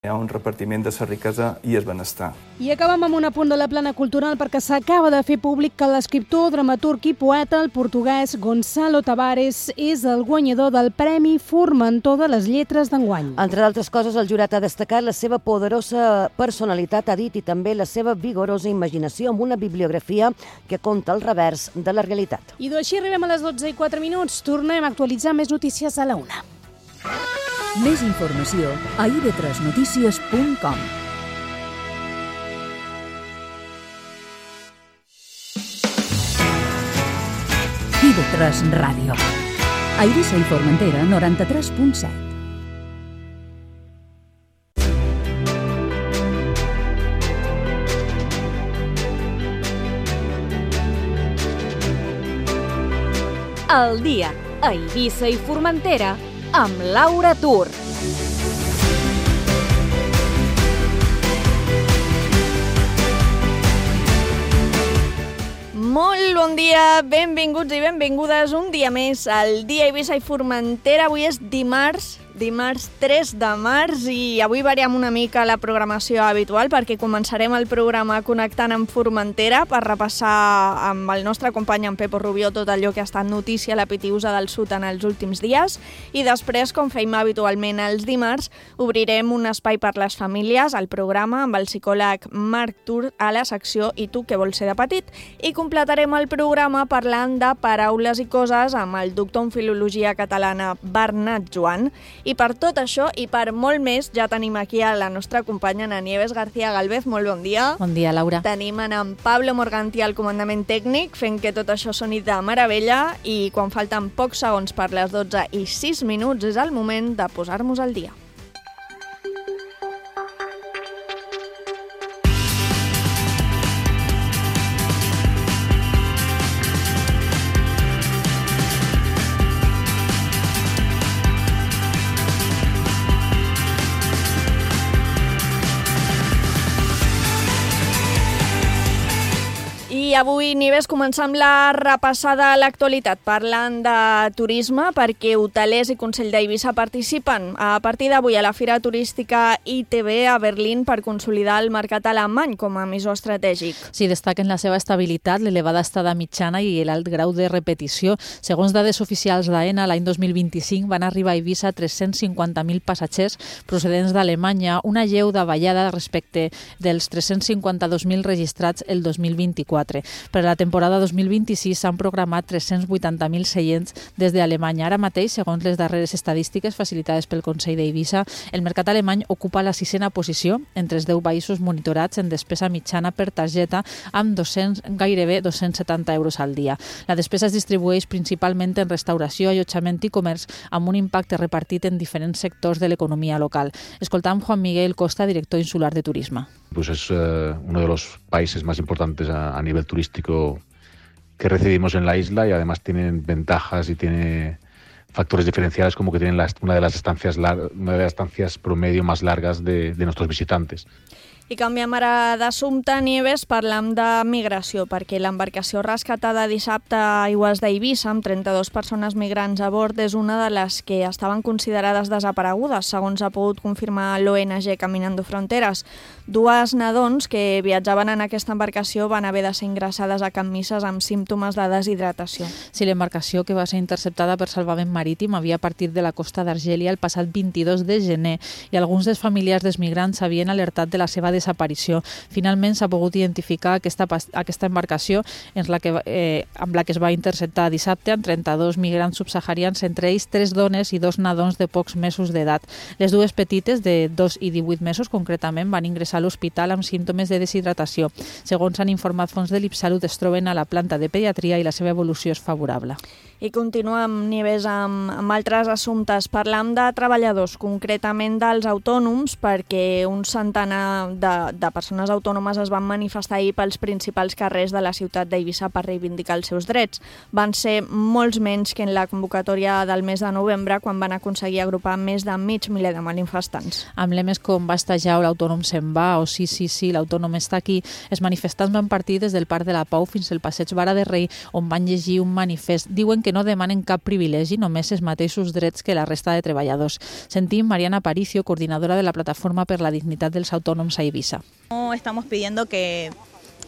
Hi ha un repartiment de la riquesa i el benestar. I acabem amb un apunt de la plana cultural perquè s'acaba de fer públic que l'escriptor, dramaturg i poeta, el portuguès Gonçalo Tavares, és el guanyador del Premi Formentor de les Lletres d'enguany. Entre d'altres coses, el jurat ha destacat la seva poderosa personalitat, ha dit, i també la seva vigorosa imaginació amb una bibliografia que conta el revers de la realitat. I així arribem a les 12:04. Tornem a actualitzar més notícies a la 1. Més informació a ib3notícies.com. IB3 Ràdio. A Eivissa i Formentera, 93.7. El dia a Eivissa i Formentera amb Laura Tur. Molt bon dia, benvinguts i benvingudes un dia més al dia Eivissa i Formentera. Avui és dimarts 3 de març i avui variem una mica la programació habitual perquè començarem el programa connectant amb Formentera per repassar amb el nostre company en Pepo Rubió tot allò que ha estat notícia a la Pitiusa del Sud en els últims dies i després, com feim habitualment els dimarts, obrirem un espai per les famílies al programa amb el psicòleg Marc Tur a la secció I tu què vols ser de petit i completarem el programa parlant de paraules i coses amb el doctor en Filologia Catalana Bernat Joan. I per tot això i per molt més ja tenim aquí a la nostra companya Ana Nieves García Galvez. Molt bon dia. Bon dia, Laura. Tenim en Pablo Morganti al comandament tècnic fent que tot això soni de meravella i quan falten pocs segons per les 12:06 és el moment de posar-nos al dia. I avui, Nieves, començam la repassada a l'actualitat parlant de turisme perquè hotelers i Consell d'Eivissa participen a partir d'avui a la Fira Turística ITB a Berlín per consolidar el mercat alemany com a emissor estratègic. Sí, destaquen la seva estabilitat, l'elevada estada mitjana i l'alt grau de repetició. Segons dades oficials d'AENA, l'any 2025 van arribar a Eivissa 350.000 passatgers procedents d'Alemanya, una lleu davallada respecte dels 352.000 registrats el 2024. Per a la temporada 2026 s'han programat 380.000 seients des d'Alemanya. Ara mateix, segons les darreres estadístiques facilitades pel Consell d'Eivissa, el mercat alemany ocupa la 6a posició entre els 10 països monitorats en despesa mitjana per targeta amb gairebé 270 euros al dia. La despesa es distribueix principalment en restauració, allotjament i comerç amb un impacte repartit en diferents sectors de l'economia local. Escoltam Juan Miguel Costa, director insular de turisme. Pues es uno de los países más importantes a nivel turístico que recibimos en la isla y además tienen ventajas y tiene factores diferenciales como que tienen una de las estancias promedio más largas de nuestros visitantes. I canviem ara d'assumpte, Nieves, parlam de migració, perquè l'embarcació rescatada dissabte a Aigües d'Eivissa amb 32 persones migrants a bord és una de les que estaven considerades desaparegudes, segons ha pogut confirmar l'ONG Caminando Fronteres. 2 nadons que viatjaven en aquesta embarcació van haver de ser ingressades a Can Misses amb símptomes de deshidratació. Sí, l'embarcació que va ser interceptada per salvament marítim havia partit de la costa d'Argèlia el passat 22 de gener i alguns dels familiars dels migrants s'havien alertat de la seva desaparició. Finalment s'ha pogut identificar aquesta embarcació amb la que es va interceptar dissabte amb 32 migrants subsaharians, entre ells 3 dones i 2 nadons de pocs mesos d'edat. Les 2 petites, de 2 i 18 mesos concretament, van ingressar a l'hospital amb símptomes de deshidratació. Segons han informat fons de l'Ipsalut, es troben a la planta de pediatria i la seva evolució és favorable. I continuem, Nieves, amb altres assumptes. Parlam de treballadors, concretament dels autònoms, perquè un centenar de persones autònomes es van manifestar ahir pels principals carrers de la ciutat d'Eivissa per reivindicar els seus drets. Van ser molts menys que en la convocatòria del mes de novembre, quan van aconseguir agrupar més de 500.000 de manifestants. Amb lemes com basta ja o l'autònom se'n va o sí, l'autònom està aquí, els manifestants van partir des del Parc de la Pau fins al Passeig Vara de Rei, on van llegir un manifest. Diuen que que no demanen cap privilegi, només els mateixos drets que la resta de treballadors. Sentim Mariana Aparicio, coordinadora de la Plataforma per la Dignitat dels Autònoms a Eivissa. No estamos pidiendo que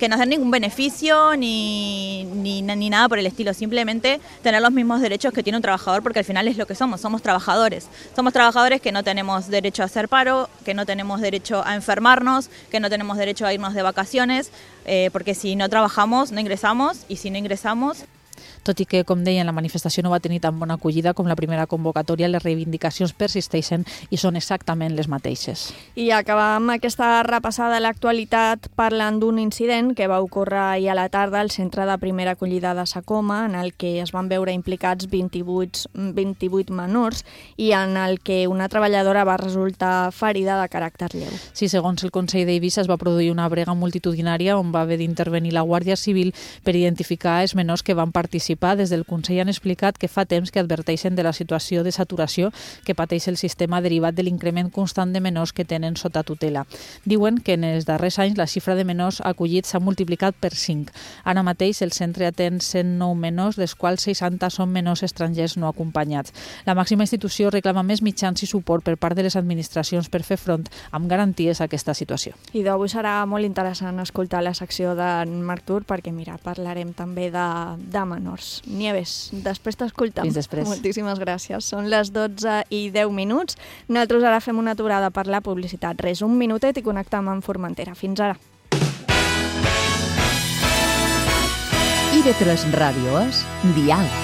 nos den ningún beneficio ni nada por el estilo, simplemente tener los mismos derechos que tiene un trabajador, porque al final es lo que somos trabajadores. Somos trabajadores que no tenemos derecho a hacer paro, que no tenemos derecho a enfermarnos, que no tenemos derecho a irnos de vacaciones, porque si no trabajamos no ingresamos, y si no ingresamos... Tot i que, com deien, la manifestació no va tenir tan bona acollida com la primera convocatòria, les reivindicacions persisteixen i són exactament les mateixes. I acabam aquesta repassada a l'actualitat parlant d'un incident que va ocórrer ahir a la tarda al centre de primera acollida de Sa Coma, en el que es van veure implicats 28 menors i en el que una treballadora va resultar ferida de caràcter lleu. Sí, segons el Consell d'Eivissa es va produir una brega multitudinària on va haver d'intervenir la Guàrdia Civil per identificar els menors que van participar. Des del Consell han explicat que fa temps que adverteixen de la situació de saturació que pateix el sistema derivat de l'increment constant de menors que tenen sota tutela. Diuen que en els darrers anys la xifra de menors acollits s'ha multiplicat per 5. Ara mateix el centre atén 109 menors, dels quals 60 són menors estrangers no acompanyats. La màxima institució reclama més mitjans i suport per part de les administracions per fer front amb garanties a aquesta situació. I d'avui serà molt interessant escoltar la secció d'en Marc Tur perquè, mira, parlarem també de menors. Nieves, després t'escoltem. Fins després. Moltíssimes gràcies. Són les 12:10. Nosaltres ara fem una aturada per la publicitat. Res, un minutet i connectem amb Formentera. Fins ara. IB3 Ràdio és Diàleg.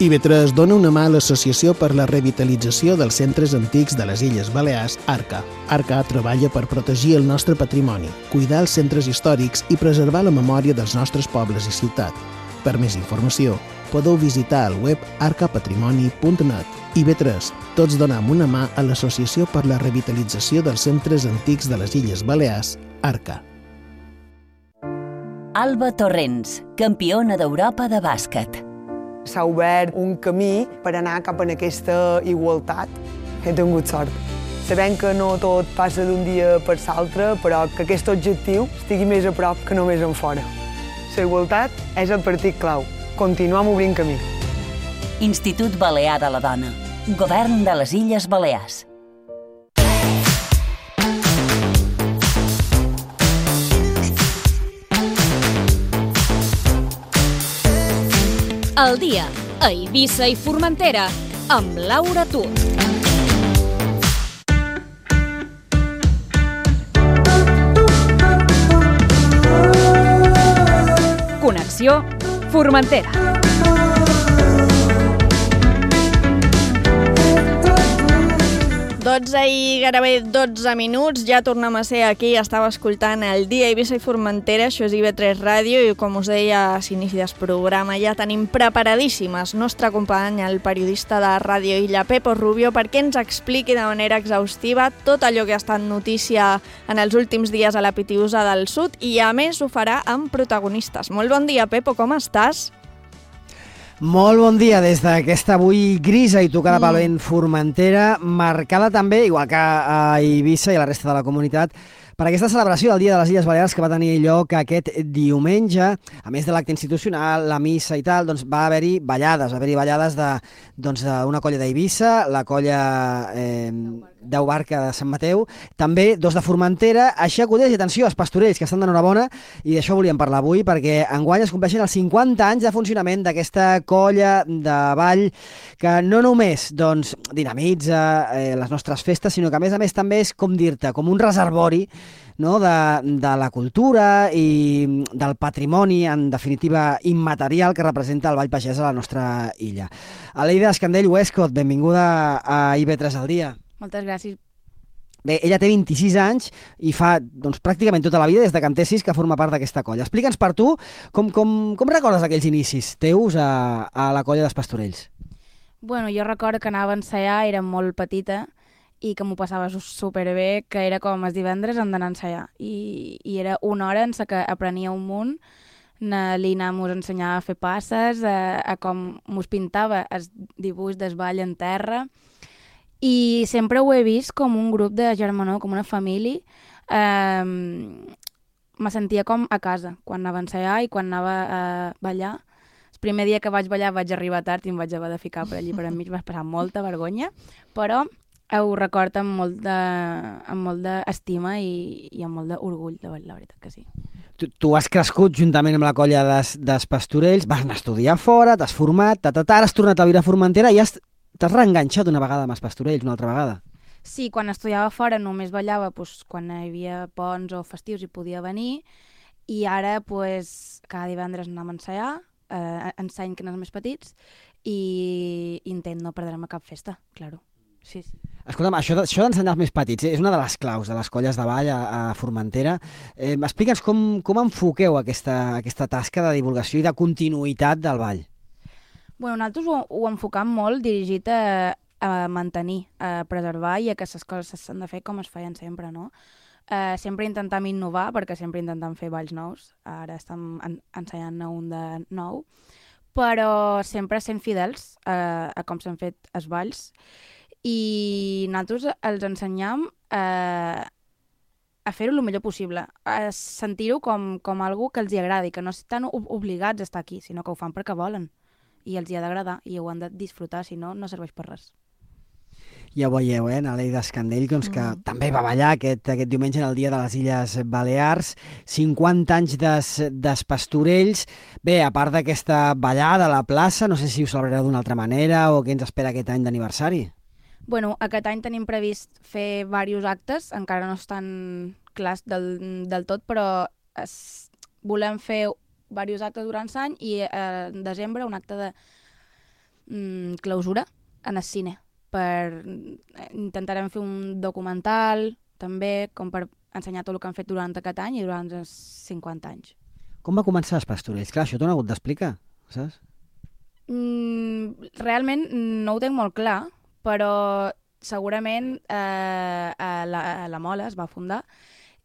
IB3 dona una mà a l'Associació per la Revitalització dels Centres Antics de les Illes Balears, ARCA. ARCA treballa per protegir el nostre patrimoni, cuidar els centres històrics i preservar la memòria dels nostres pobles i ciutat. Per més informació, podeu visitar el web arcapatrimoni.net. IB3, tots donem una mà a l'Associació per la Revitalització dels Centres Antics de les Illes Balears, ARCA. Alba Torrents, campiona d'Europa de bàsquet. S'ha obert un camí per anar cap a aquesta igualtat. He tingut sort. Sabem que no tot passa d'un dia per l'altre, però que aquest objectiu estigui més a prop que només en fora. La igualtat és el partit clau. Continuem obrint camí. Institut Balear de la Dona. Govern de les Illes Balears. El dia a Eivissa i Formentera amb Laura Tur. Connexió Formentera. 12 i gairebé 12 minuts, ja tornem a ser aquí, estava escoltant el dia Eivissa i Formentera, això és IB3 Ràdio, i com us deia a l'inici del programa, ja tenim preparadíssimes nostre company, el periodista de Ràdio Illa, Pepo Rubio, perquè ens expliqui de manera exhaustiva tot allò que ha estat notícia en els últims dies a la Pitiusa del Sud, i a més ho farà amb protagonistes. Molt bon dia, Pepo, com estàs? Molt bon dia des d'aquesta avui grisa i tocada pel vent Formentera, marcada també, igual que a Eivissa i a la resta de la comunitat, per aquesta celebració del Dia de les Illes Balears que va tenir lloc aquest diumenge. A més de l'acte institucional, la missa i tal, doncs va haver-hi ballades, d'una colla d'Eivissa, la colla Deu Barca de Sant Mateu, també dos de Formentera, així acudeix, i atenció, els pastorells, que estan d'enhorabona, i d'això volíem parlar avui, perquè enguany es compleixen els 50 anys de funcionament d'aquesta colla de ball, que no només dinamitza les nostres festes, sinó que a més també és, com dir-te, com un reservori, no? de la cultura i del patrimoni, en definitiva immaterial, que representa el Ball Pagès a la nostra illa. Aleida Escandell Westcott, benvinguda a IB3 al dia. Moltes gràcies. Bé, ella té 26 anys i fa pràcticament tota la vida, des de que en té 6, que forma part d'aquesta colla. Explica'ns per tu com recordes aquells inicis teus a la colla dels Pastorells. Bueno, jo recordo que anava a ensaiar, era molt petita, i que m'ho passava superbé, que era com els divendres hem d'anar a ensaiar. I era una hora en què aprenia un munt, l'Ina mos ensenyava a fer passes, a com mos pintava el dibuix del ball en terra, i sempre ho he vist com un grup de germanor, com una família. Me sentia com a casa quan anava a ensaiar i quan anava a ballar. primer dia que vaig ballar vaig arribar tard i em vaig haver de ficar per allí per enmig, vaig passar molta vergonya, però ho record amb molt d'estima i amb molt d'orgull, la veritat que sí. Tu has crescut juntament amb la colla d'Espastorells, vas anar a estudiar fora, t'has format, ara has tornat a viure a Formentera i t'has reenganxat una vegada amb Espastorells, una altra vegada. Sí, quan estudiava fora només ballava quan hi havia ponts o festius i podia venir, i ara cada divendres anem a ensaiar, enseny que no més petits, i intent no perdre-me cap festa, claro. Sí. Escolta'm, això d'ensenyar els més petits és una de les claus de les colles de ball a Formentera. Explica'ns com enfoqueu aquesta tasca de divulgació i de continuïtat del ball. Bueno, nosaltres ho enfocam molt dirigit a mantenir, a preservar i a que les coses s'han de fer com es feien sempre, no? Sempre intentam innovar, perquè sempre intentam fer balls nous. Ara estem ensenyant-ne un de nou, però sempre sent fidels a com s'han fet els balls. I nosaltres els ensenyam a fer-ho el millor possible, a sentir-ho com algo que els agradi, que no estan obligats a estar aquí, sinó que ho fan perquè volen. I els hi ha d'agradar i ho han de disfrutar, si no, no serveix per res. Ja ho veieu, Naleida Escandell, que també va ballar aquest diumenge en el Dia de les Illes Balears, 50 anys d'Espastorells. Bé, a part d'aquesta ballada a la plaça, no sé si ho celebrareu d'una altra manera o què ens espera aquest any d'aniversari. Bueno, aquest any tenim previst fer diversos actes, encara no estan clars del tot, però volem fer diversos actes durant l'any i en desembre un acte de clausura en el cine. Intentarem fer un documental, també, com per ensenyar tot el que han fet durant aquest any i durant els 50 anys. Com va començar Espastorells? Clar, això t'ho han hagut d'explicar, saps? Realment no ho tinc molt clar, però segurament a la Mola es va fundar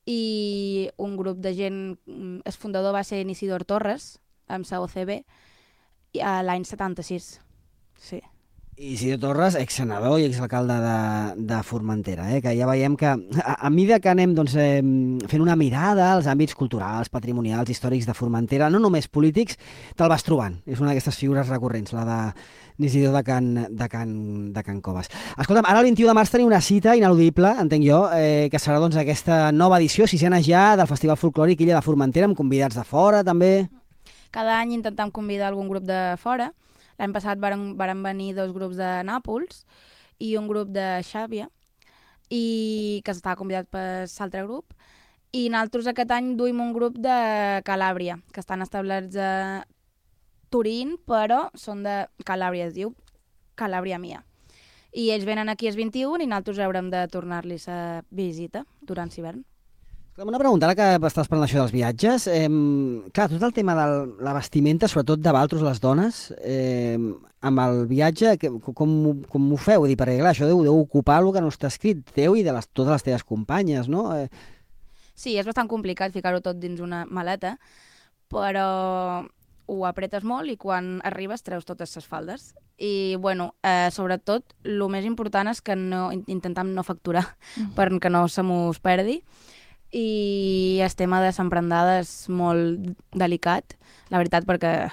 i un grup de gent, el fundador va ser Isidor Torres, amb la OCB, l'any 76, sí. Isidor Torres, exsenador i exalcalde de Formentera, que ja veiem que a mesura que anem fent una mirada als àmbits culturals, patrimonials, històrics de Formentera, no només polítics, te'l vas trobant. És una d'aquestes figures recurrents, la d'Isidor de Can Coves. Escolta'm, ara el 21 de març tenim una cita ineludible, entenc jo, que serà aquesta nova edició, sisena ja, del Festival Folclòric Illa de Formentera, amb convidats de fora, també. Cada any intentem convidar algun grup de fora. L'any passat varen venir 2 grups de Nàpols i un grup de Xàbia, que estava convidat per l'altre grup. I nosaltres aquest any duim un grup de Calàbria, que estan establerts a Turín, però són de Calàbria, es diu Calàbria Mia. I ells venen aquí el 21 i nosaltres haurem de tornar-li la visita durant l'hivern. Una pregunta, ara que estàs parlant això dels viatges, clar, tot el tema de la vestimenta, sobretot de vosaltres, les dones, amb el viatge, com ho feu? Perquè clar, això deu ocupar el que no està escrit teu i de totes les teves companyes, no? Sí, és bastant complicat ficar-ho tot dins una maleta, però ho apretes molt i quan arribes treus totes les faldes. I, bueno, sobretot, el més important és que intentem no facturar perquè no se mos perdi. I el tema de l'emprendada és molt delicat, la veritat, perquè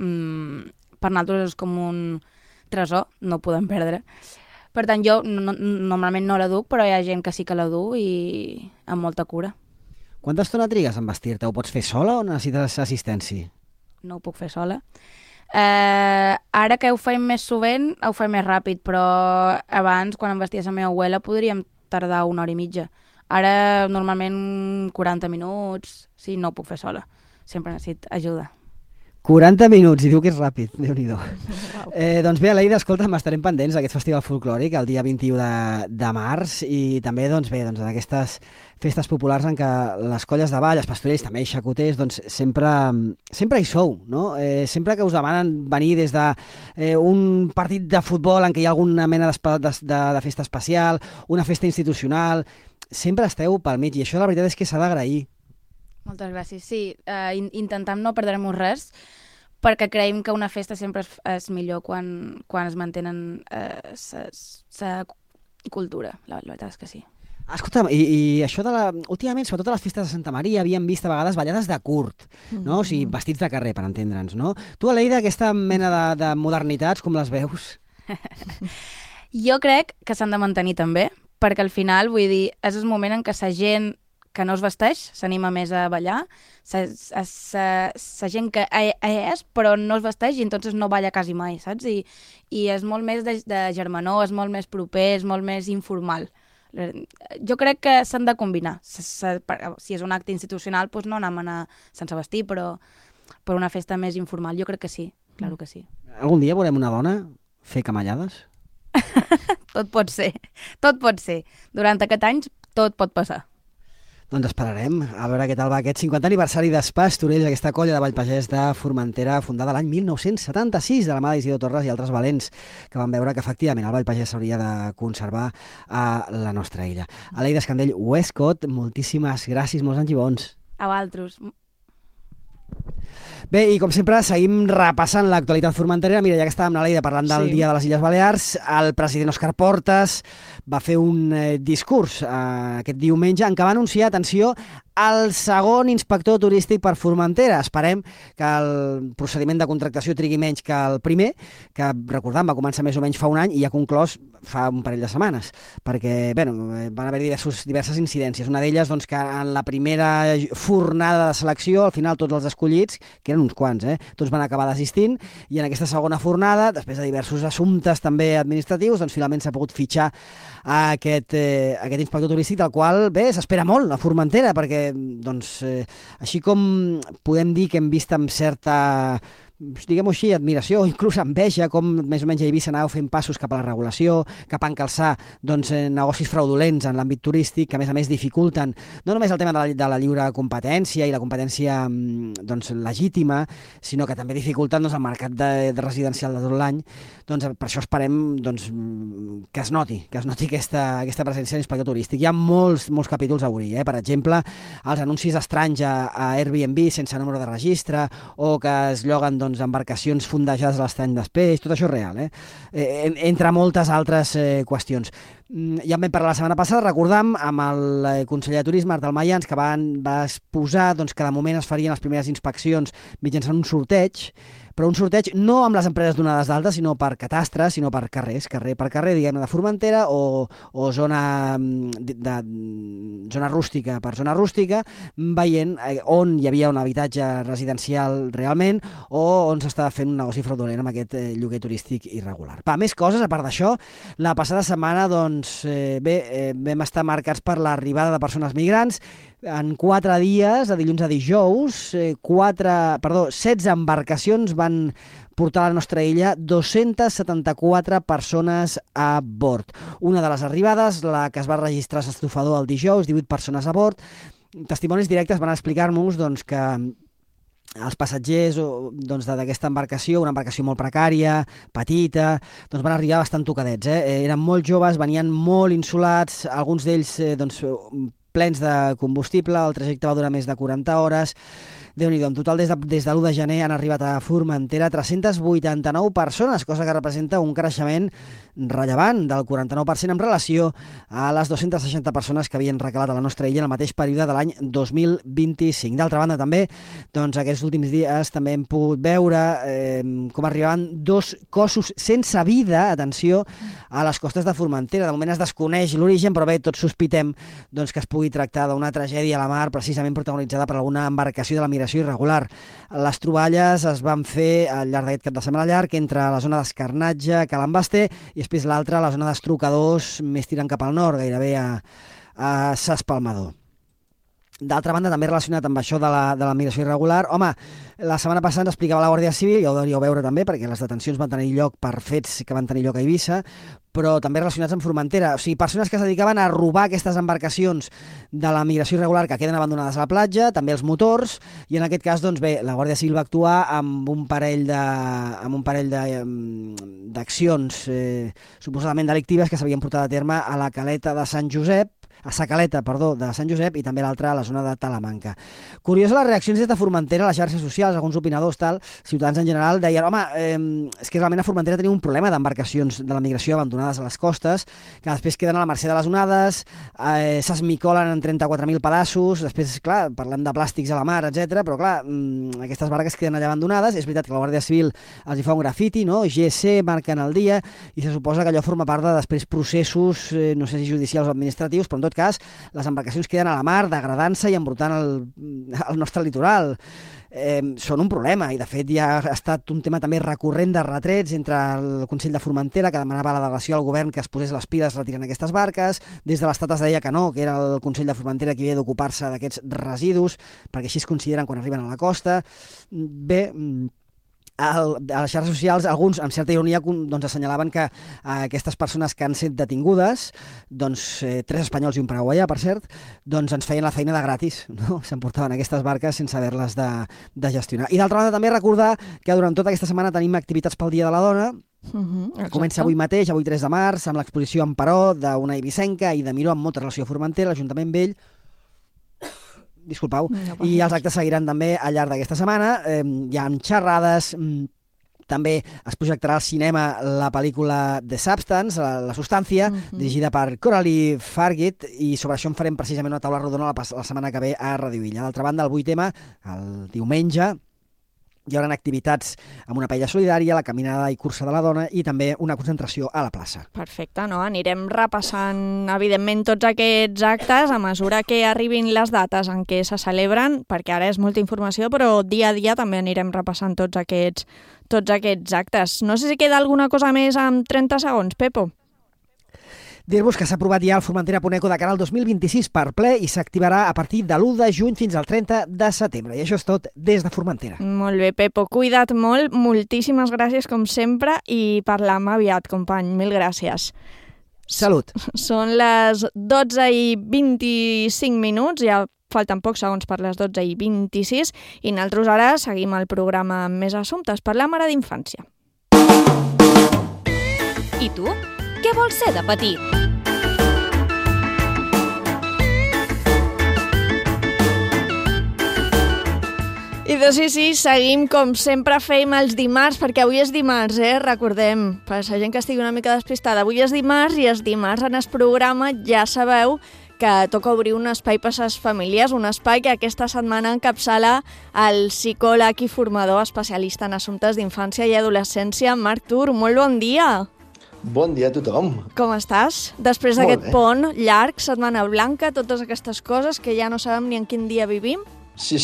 per nosaltres és com un tresor, no ho podem perdre. Per tant, jo normalment no la duc, però hi ha gent que sí que la du i amb molta cura. Quanta estona trigues en vestir-te? Ho pots fer sola o necessites assistència? No ho puc fer sola. Ara que ho feim més sovint, ho feim més ràpid, però abans, quan em vestia la meva abuela, podríem tardar 1 hora i mitja. Ara, normalment, 40 minuts, sí, no ho puc fer sola. Sempre necessito ajuda. 40 minuts, i diu que és ràpid, Déu-n'hi-do. Doncs bé, Aleida, escolta, estarem pendents d'aquest festival folclòric el dia 21 de març i també, en aquestes festes populars en què les colles de ball, els pastorells, també i xacoters, doncs sempre hi sou, no? Sempre que us demanen venir des d'un partit de futbol en què hi ha alguna mena de festa especial, una festa institucional, sempre esteu pel mig i això la veritat és que s'ha d'agrair. Moltes gràcies. Sí, intentem no perdre-nos res perquè creiem que una festa sempre és millor quan es mantenen la cultura. La veritat és que sí. Escolta'm, i això últimament, sobretot a les festes de Santa Maria, havíem vist a vegades ballades de curt, no? O sigui, vestits de carrer, per entendre'ns, no? Tu, Aleida, aquesta mena de modernitats, com les veus? Jo crec que s'han de mantenir també, perquè al final, vull dir, és el moment en què la gent que no es vesteix s'anima més a ballar, la gent que és però no es vesteix i entonces no balla quasi mai, saps? I és molt més de germanor, és molt més proper, és molt més informal. Jo crec que s'han de combinar. Si és un acte institucional, doncs no anem a anar sense vestir, però per una festa més informal jo crec que sí, claro que sí. Algun dia veurem una dona fer camallades? Tot pot ser. Durant aquest any tot pot passar. Doncs esperarem a veure què tal va aquest 50 aniversari d'Espastorells, aquesta colla de Vallpagès de Formentera, fundada l'any 1976 de la mà d'Isidor Torres i altres valents que van veure que efectivament el Vallpagès s'hauria de conservar a la nostra illa. Aleida Escandell Westcott, moltíssimes gràcies, molts anys i bons. A vosaltres. Bé, i com sempre seguim repassant l'actualitat formenterera. Mira, ja que estàvem, Aleida, parlant del Dia de les Illes Balears, el president Òscar Portas va fer un discurs aquest diumenge en què va anunciar, atenció, el segon inspector turístic per Formentera. Esperem que el procediment de contractació trigui menys que el primer, que, recordem, va començar més o menys fa un any i ha conclòs fa un parell de setmanes, perquè van haver diverses incidències. Una d'elles, doncs, que en la primera fornada de selecció, al final tots els escollits, que eren uns quants, tots van acabar desistint, i en aquesta segona fornada, després de diversos assumptes també administratius, doncs finalment s'ha pogut fitxar aquest inspector turístic, del qual, bé, s'espera molt a Formentera, perquè doncs, així com podem dir que hem vist amb certa, diguem-ho així, admiració o inclús enveja com més o menys a Eivissa anàveu fent passos cap a la regulació, cap a encalçar negocis fraudulents en l'àmbit turístic que a més dificulten no només el tema de la lliure competència i la competència legítima, sinó que també dificulten el mercat residencial de tot l'any. Doncs per això esperem que es noti aquesta presència de l'inspector turístic. Hi ha molts capítols a obrir, per exemple, els anuncis estranys a Airbnb sense número de registre, o que es lloguen embarcacions fondejades a l'estany d'Espeix, tot això és real, entre moltes altres qüestions. Ja en vam parlar la setmana passada, recordam, amb el conseller de Turisme, Art Dalmaians, que va exposar que de moment es farien les primeres inspeccions mitjançant un sorteig, però un sorteig no amb les empreses donades d'alta, sinó per catastres, sinó per carrers, carrer per carrer, diguem-ne, de Formentera, o zona rústica per zona rústica, veient on hi havia un habitatge residencial realment, o on s'estava fent un negoci fraudulent amb aquest lloguer turístic irregular. Més coses, a part d'això, la passada setmana, vam estar marcats per l'arribada de persones migrants. En 4 dies, de dilluns a dijous, 16 embarcacions van portar a la nostra illa 274 persones a bord. Una de les arribades, la que es va registrar a l'estofador el dijous, 18 persones a bord. Testimonis directes van explicar-nos que els passatgers d'aquesta embarcació, una embarcació molt precària, petita, van arribar bastant tocadets. Eren molt joves, venien molt insolats, alguns d'ells plens de combustible, el trajecte va durar més de 40 hores. Déu-n'hi-do, en total des de l'1 de gener han arribat a Formentera 389 persones, cosa que representa un creixement rellevant del 49% en relació a les 260 persones que havien recalat a la nostra illa en el mateix període de l'any 2025. D'altra banda, també, aquests últims dies també hem pogut veure com arribaven 2 cossos sense vida, atenció, a les costes de Formentera. De moment es desconeix l'origen, però bé, tots sospitem que es pugui tractar d'una tragèdia a la mar, precisament protagonitzada per alguna embarcació de la migració irregular. Les troballes es van fer al llarg d'aquest cap de setmana llarg entre la zona d'Escarnatge, Calambasté, i després l'altra, la zona d'Estrucadors, més tirant cap al nord, gairebé a Ses Palmador. D'altra banda, també relacionat amb això de la migració irregular, la setmana passada ens explicava la Guàrdia Civil, ja ho deuríeu veure també, perquè les detencions van tenir lloc per fets que van tenir lloc a Eivissa, però també relacionats amb Formentera. O sigui, persones que es dedicaven a robar aquestes embarcacions de la migració irregular que queden abandonades a la platja, també els motors, i en aquest cas, la Guàrdia Civil va actuar amb un parell d'accions suposadament delictives que s'havien portat a terme a la caleta de Sant Josep, Sa Caleta, de Sant Josep, i també l'altra a la zona de Talamanca. Curiós les reaccions des de Formentera, a les xarxes socials, alguns opinadors, ciutadans en general, deien, home, és que realment a Formentera tenim un problema d'embarcacions de la migració abandonades a les costes, que després queden a la mercè de les onades, s'esmicolen en 34.000 pedaços, després, clar, parlem de plàstics a la mar, etc. Però, clar, aquestes barques queden allà abandonades. És veritat que la Guàrdia Civil els hi fa un grafiti, no? GC, marquen el dia, i se suposa que allò forma part de després processos, no sé si judicials o administratius, però en tot cas les embarcacions queden a la mar, degradant-se i embrutant el nostre litoral. Són un problema, i de fet ja ha estat un tema també recurrent de retrets entre el Consell de Formentera, que demanava a la delegació al govern que es posés les piles retirant aquestes barques. Des de l'Estat es deia que no, que era el Consell de Formentera qui havia d'ocupar-se d'aquests residus, perquè així es consideren quan arriben a la costa. Bé, a les xarxes socials, alguns, amb certa ironia, assenyalaven que aquestes persones que han estat detingudes, 3 espanyols i un paraguaià, per cert, ens feien la feina de gratis, no? S'emportaven aquestes barques sense haver-les de gestionar. I d'altra banda també recordar que durant tota aquesta setmana tenim activitats pel Dia de la Dona. Comença avui mateix, avui 3 de març, amb l'exposició Emperò d'una eivissenca i de Miró amb molta relació a Formentera, l'Ajuntament Vell. Disculpeu. I els actes seguiran també al llarg d'aquesta setmana. Hi ha xerrades, també es projectarà al cinema la pel·lícula The Substance, La Substància, dirigida per Coralie Fargit, i sobre això en farem precisament una taula rodona la setmana que ve a Radio Illa. D'altra banda, el 8M, el diumenge, hi haurà activitats amb una paella solidària, la caminada i cursa de la dona i també una concentració a la plaça. Perfecte, no? Anirem repassant, evidentment, tots aquests actes a mesura que arribin les dates en què se celebren, perquè ara és molta informació, però dia a dia també anirem repassant tots aquests actes. No sé si queda alguna cosa més amb 30 segons, Pepo. Dir-vos que s'ha aprovat ja el Formentera Puneco de cara al 2026 per ple i s'activarà a partir de l'1 de juny fins al 30 de setembre. I això és tot des de Formentera. Molt bé, Pepo. Cuida't molt. Moltíssimes gràcies, com sempre, i parlam aviat, company. Mil gràcies. Salut. Són les 12:25, ja falten pocs segons per les 12:26, i nosaltres ara seguim el programa amb més assumptes. Parlam ara d'infància. I tu? Què vols ser de petit? I sí, seguim com sempre fem els dimarts, perquè avui és dimarts, recordem, per la gent que estigui una mica despistada, avui és dimarts i els dimarts en el programa ja sabeu que toca obrir un espai per a les famílies, un espai que aquesta setmana encapçala el psicòleg i formador especialista en assumptes d'infància i adolescència, Marc Tur. Molt bon dia! Bon dia a tothom. Com estàs? Després d'aquest pont llarg, Setmana Blanca, totes aquestes coses que ja no sabem ni en quin dia vivim? Sí,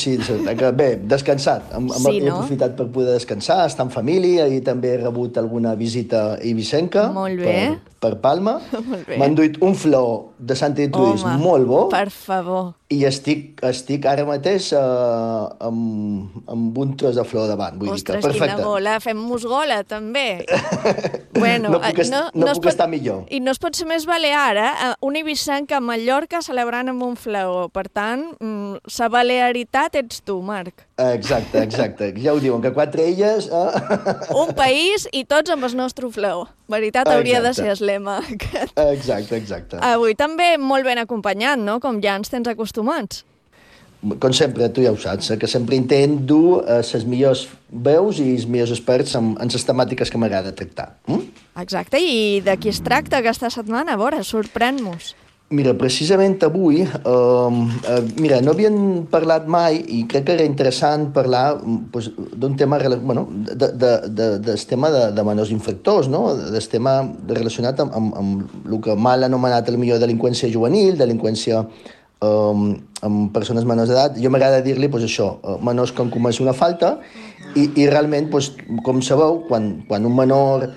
bé, descansat. He aprofitat per poder descansar, estar en família i també he rebut alguna visita eivissenca per Palma. M'han duit un flor de Sant Lluís molt bo. Per favor. I estic ara mateix amb un tros de flor davant. Ostres, quina gola. Fem-nos gola, també. Bueno, no puc estar millor. I no es pot ser més balear, una eivissenca a Mallorca celebrant amb un flaó. Per tant, sa balearitat ets tu, Marc. Exacte. Ja ho diuen, que 4 illes... Un país i tots amb el nostre flaó. Veritat hauria de ser el lema. Exacte. Avui també molt ben acompanyat, no? Com ja ens tens acostumats. Com sempre, tu ja ho saps, que sempre intent dur les millors veus i els millors experts en les temàtiques que m'agrada tractar. Exacte, i de qui es tracta aquesta setmana? A veure, sorprèn-nos. Mira, precisament avui, no havien parlat mai i crec que era interessant parlar d'un tema, del tema de menors infractors, no? Del tema relacionat amb el que mal anomenat el millor delinqüència juvenil, delinqüència amb persones menors d'edat. Jo m'agrada dir-li això, menors que han comès una falta i realment, com sabeu, quan un menor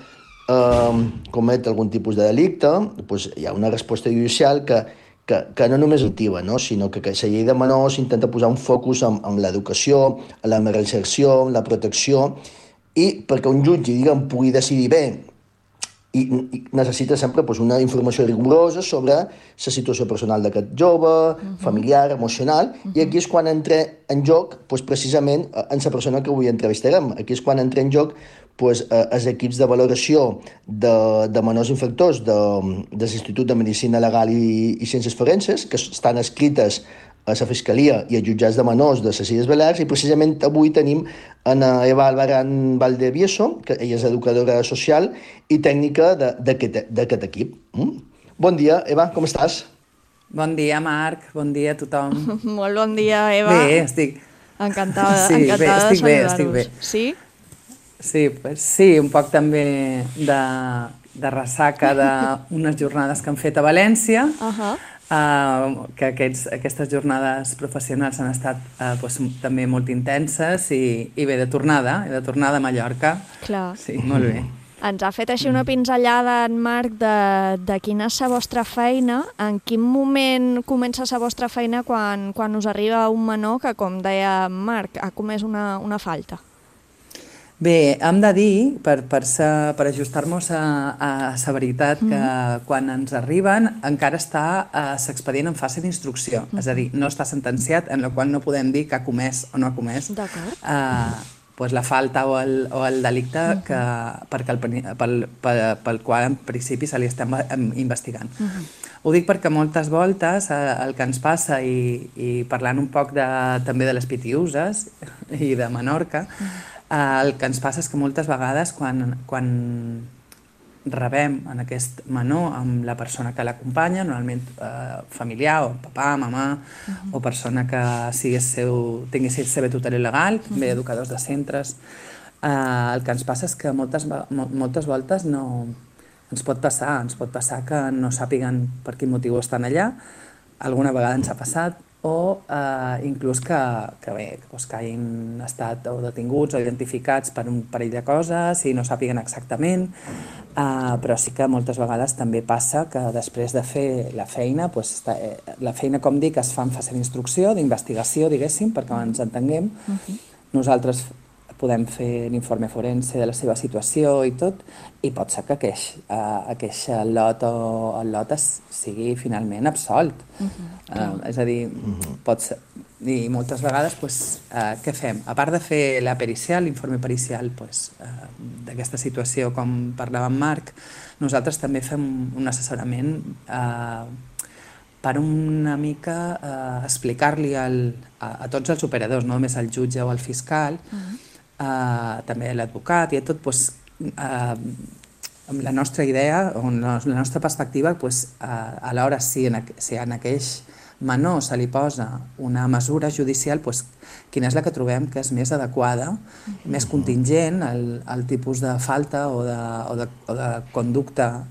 comet algun tipus de delicte, hi ha una resposta judicial que no només activa, sinó que la llei de menors intenta posar un focus en l'educació, en la reinserció, en la protecció, i perquè un jutge pugui decidir bé i necessita sempre una informació rigorosa sobre la situació personal d'aquest jove, familiar, emocional, i aquí és quan entra en joc precisament en la persona que avui entrevistarem. Aquí és quan entra en joc els equips de valoració de menors infractors de l'Institut de Medicina Legal i Ciències Forenses, que estan escrites a la Fiscalia i als jutjats de menors de les Illes Balears, i precisament avui tenim Eva Albarán Valdevieso, que ella és educadora social i tècnica d'aquest equip. Bon dia, Eva, com estàs? Bon dia, Marc, bon dia a tothom. Molt bon dia, Eva. Bé, estic... Encantada de saludar-vos. Estic bé. Sí? Sí, un poc també de ressaca d'unes jornades que han fet a València, que aquestes jornades professionals han estat també molt intenses i bé, de tornada a Mallorca. Clar. Sí, molt bé. Ens ha fet així una pinzellada, en Marc, de quina és la vostra feina. En quin moment comença la vostra feina quan us arriba un menor que, com deia Marc, ha comès una falta? Bé, hem de dir, per ajustar-nos a la veritat, que quan ens arriben encara està l'expedient en fase d'instrucció. És a dir, no està sentenciat, en la qual no podem dir que ha comès o no ha comès la falta o el delicte pel qual en principi se li estem investigant. Ho dic perquè moltes voltes el que ens passa, i parlant un poc també de les pitiuses i de Menorca, el que ens passa és que moltes vegades quan rebem en aquest menor amb la persona que l'acompanya, normalment familiar, o papà, mamà, o persona que tingui la seva tutela legal, també educadors de centres, el que ens passa és que moltes voltes ens pot passar que no sàpiguen per quin motiu estan allà, alguna vegada ens ha passat, o inclús que hagin estat detinguts o identificats per un parell de coses i no sàpiguen exactament, però sí que moltes vegades també passa que després de fer la feina, com dic, es fa en fase d'instrucció, d'investigació, diguéssim, perquè ens entenguem. Nosaltres podem fer l'informe forense de la seva situació i tot, i pot ser que aqueix lot sigui finalment absolt. És a dir, pot ser... I moltes vegades, què fem? A part de fer la pericial, l'informe pericial d'aquesta situació, com parlava en Marc, nosaltres també fem un assessorament per una mica explicar-li a tots els operadors, no només al jutge o al fiscal, també l'advocat i a tot, amb la nostra idea, o la nostra perspectiva, a l'hora si en aquell menor se li posa una mesura judicial, quina és la que trobem que és més adequada, més contingent al tipus de falta o de conducta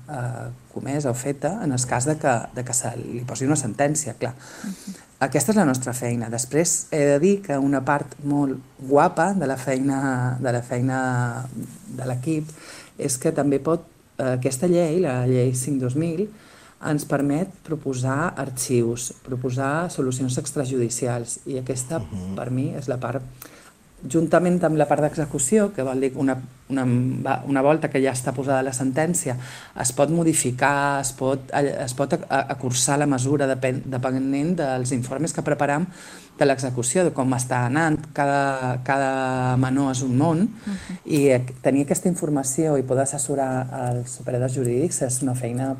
comesa o feta en el cas que se li posi una sentència, clar. Aquesta és la nostra feina. Després he de dir que una part molt guapa de la feina de l'equip és que també aquesta llei, la llei 5/2000, ens permet proposar arxius, proposar solucions extrajudicials, i aquesta per mi és la part, juntament amb la part d'execució, que vol dir que una volta que ja està posada la sentència es pot modificar, es pot acursar la mesura depenent dels informes que preparam de l'execució, de com està anant. Cada menor és un món, i tenir aquesta informació i poder assessorar els operadors jurídics és una feina...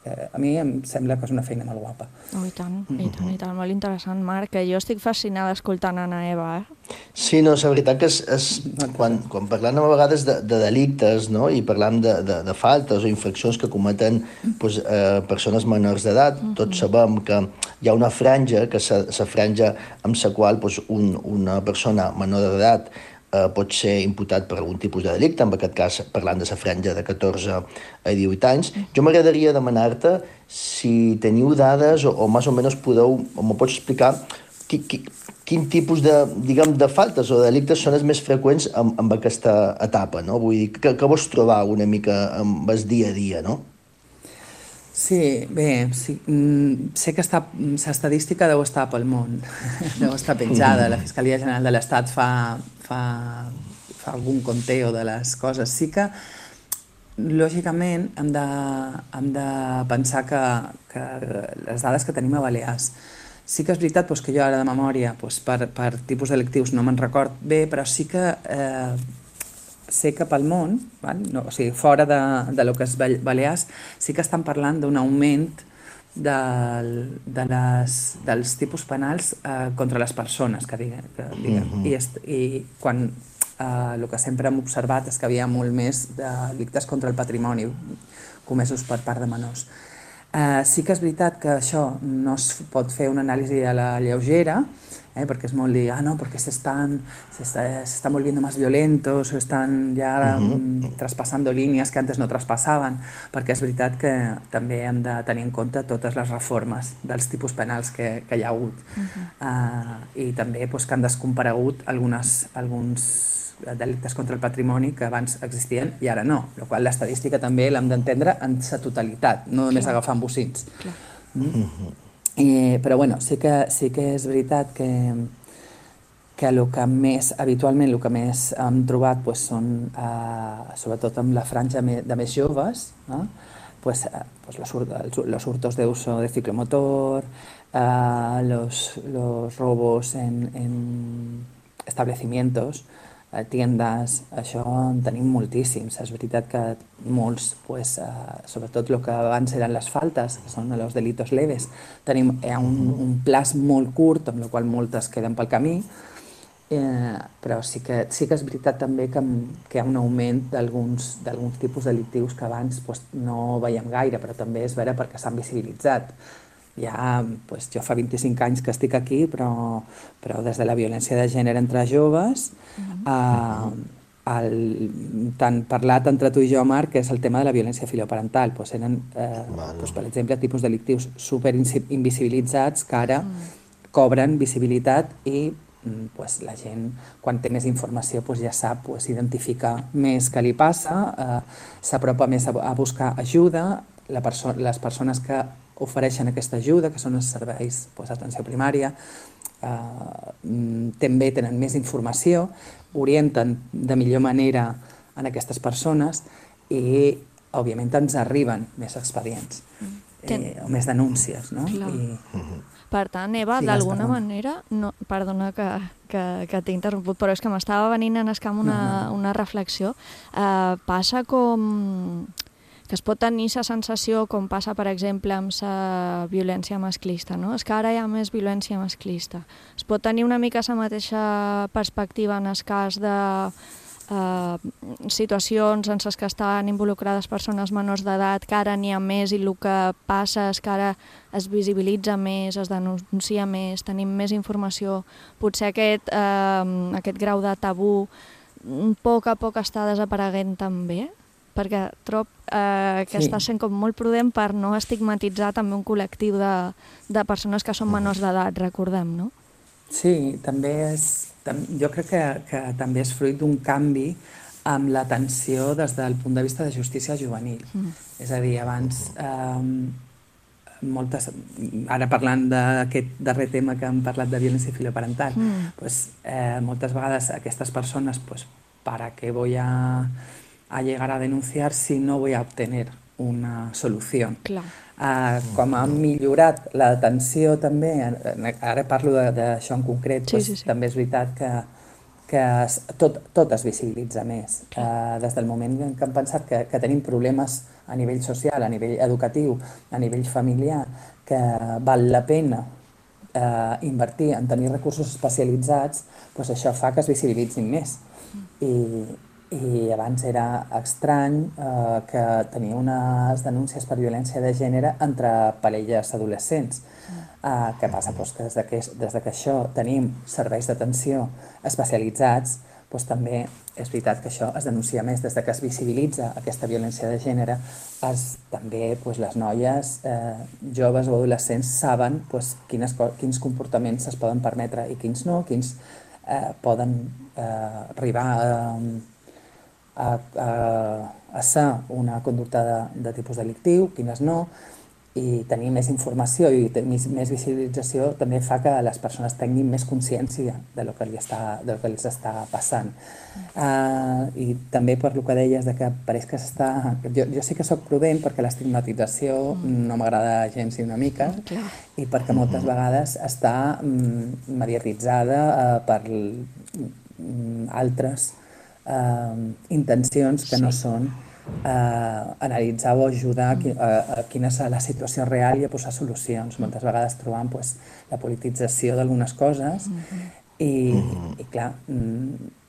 A mi em sembla que és una feina molt guapa. I tant, molt interessant, Marc, que jo estic fascinada escoltant Anna Eva. Sí, no, la veritat que quan parlem a vegades de delictes, i parlam de faltes o infraccions que cometen persones menors d'edat, tots sabem que hi ha una franja, que és la franja amb la qual una persona menor d'edat pot ser imputat per algun tipus de delicte, en aquest cas parlant de la franja de 14 a 18 anys. Jo m'agradaria demanar-te si teniu dades o més o menys m'ho pots explicar quin tipus de faltes o de delictes són els més freqüents en aquesta etapa, no? Vull dir, què vols trobar una mica amb el dia a dia, no? Sí, bé, sé que l'estadística deu estar pel món, deu estar penjada. La Fiscalia General de l'Estat fa algun conteo de les coses. Sí que, lògicament, hem de pensar que les dades que tenim a Balears, sí que és veritat que jo ara de memòria per tipus delictius no me'n record bé, però sí que sé que pel món, no, o sigui, fora de lo que és Balears, sí que estan parlant d'un augment dels tipus penals contra les persones, que diguem. I quan el que sempre hem observat és que hi havia molt més delictes contra el patrimoni comesos per part de menors. Sí que és veritat que això no es pot fer una anàlisi a la lleugera, porque es molt dir, no, porque se están volviendo más violentos o están ya traspasando línies que antes no traspasaven, perquè és veritat que també hem de tenir en compte totes les reformes dels tipus penals que hi ha hagut i també que han descomparegut alguns delictes contra el patrimoni que abans existien i ara no, la qual l'estadística també l'hem d'entendre en sa totalitat, no només agafant bocins. Però bueno, sí que és veritat que habitualment el que més hem trobat són, sobretot amb la franja de més joves, los hurtos de uso de ciclomotor, los robos en establecimientos, tiendes, això en tenim moltíssims. És veritat que molts, sobretot el que abans eren les faltes, que són els delitos leves, tenim un plaç molt curt, amb el qual moltes queden pel camí, però sí que és veritat també que hi ha un augment d'alguns tipus delictius que abans no veiem gaire, però també és vera perquè s'han visibilitzat. Jo fa 25 anys que estic aquí, però des de la violència de gènere entre joves, tant parlat entre tu i jo, Marc, que és el tema de la violència filioparental. Eren, per exemple, tipus delictius superinvisibilitzats que ara cobren visibilitat i la gent, quan té més informació, ja sap identificar més què li passa, s'apropa més a buscar ajuda, les persones que ofereixen aquesta ajuda, que són els serveis d'atenció primària, també tenen més informació, orienten de millor manera en aquestes persones i, òbviament, ens arriben més expedients o més denúncies. Per tant, Eva, d'alguna manera, perdona que t'he interromput, però és que m'estava venint en escam una reflexió. Passa com que es pot tenir la sensació, com passa, per exemple, amb la violència masclista, no? És que ara hi ha més violència masclista. Es pot tenir una mica la mateixa perspectiva en el cas de situacions en les que estan involucrades persones menors d'edat, que ara n'hi ha més i el que passa és que ara es visibilitza més, es denuncia més, tenim més informació. Potser aquest grau de tabú a poc està desapareguent també, perquè trob que està sent com molt prudent per no estigmatitzar també un col·lectiu de persones que són menors d'edat, recordem, no? Sí, també jo crec que també és fruit d'un canvi amb l'atenció des del punt de vista de justícia juvenil. És a dir, abans, ara parlant d'aquest darrer tema que hem parlat de violència filioparental, moltes vegades aquestes persones, ¿para qué voy a llegar a denunciar si no voy a obtener una solución? Com ha millorat l'atenció també, ara parlo d'això en concret, també és veritat que tot es visibilitza més. Des del moment que hem pensat que tenim problemes a nivell social, a nivell educatiu, a nivell familiar, que val la pena invertir en tenir recursos especialitzats, això fa que es visibilitzin més. I abans era estrany que tenia unes denúncies per violència de gènere entre parelles adolescents. Què passa? Que des que això tenim serveis d'atenció especialitzats, també és veritat que això es denuncia més. Des que es visibilitza aquesta violència de gènere, també les noies joves o adolescents saben quins comportaments es poden permetre i quins no, quins poden arribar a ser una conducta de tipus delictiu, quines no, i tenir més informació i més visibilització també fa que les persones tinguin més consciència del que els està passant. I també per el que deies que pareix que s'està... Jo sí que soc prudent perquè l'estigmatització no m'agrada gens ni una mica i perquè moltes vegades està mediatitzada per altres intencions que no són analitzar o ajudar a quina és la situació real i a posar solucions. Moltes vegades trobam la politització d'algunes coses i clar,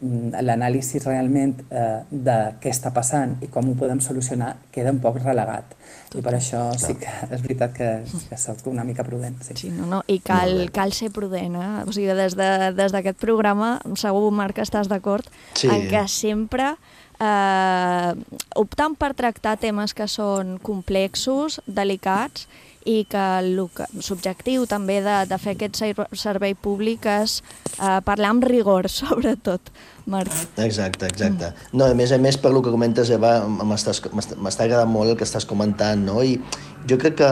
l'anàlisi realment de què està passant i com ho podem solucionar queda un poc relegat. I per això sí que és veritat que soc una mica prudent. Sí, i cal ser prudent. O sigui, des d'aquest programa, segur, Marc, que estàs d'acord, en què sempre optant per tractar temes que són complexos, delicats, i que l'objectiu també de fer aquest servei públic és parlar amb rigor, sobretot, Marc. Exacte. No, a més, per el que comentes, Eva, m'està agradant molt el que estàs comentant, no? I jo crec que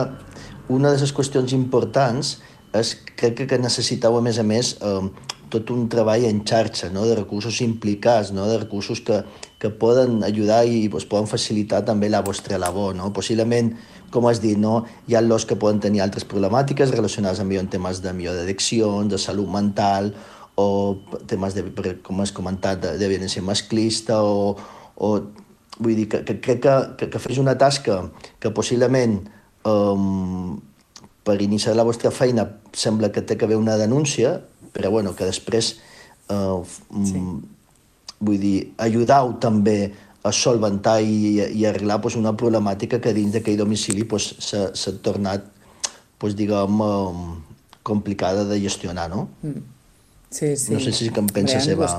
una de les qüestions importants és que necessiteu, a més, tot un treball en xarxa, no? De recursos implicats, no? De recursos que poden ajudar i poden facilitar també la vostra labor, no? Possiblement, com has dit, no? Hi ha los que poden tenir altres problemàtiques relacionades amb temes de d'addiccions, de salut mental, o temes, com has comentat, de violència masclista, o vull dir que crec que fes una tasca que possiblement per iniciar la vostra feina sembla que té que haver una denúncia, però bueno, que després vull dir, ajudau també a solventar i arreglar una problemàtica que dins d'aquell domicili s'ha tornat, diguem, complicada de gestionar, no? Sí. No sé si em penses, Eva.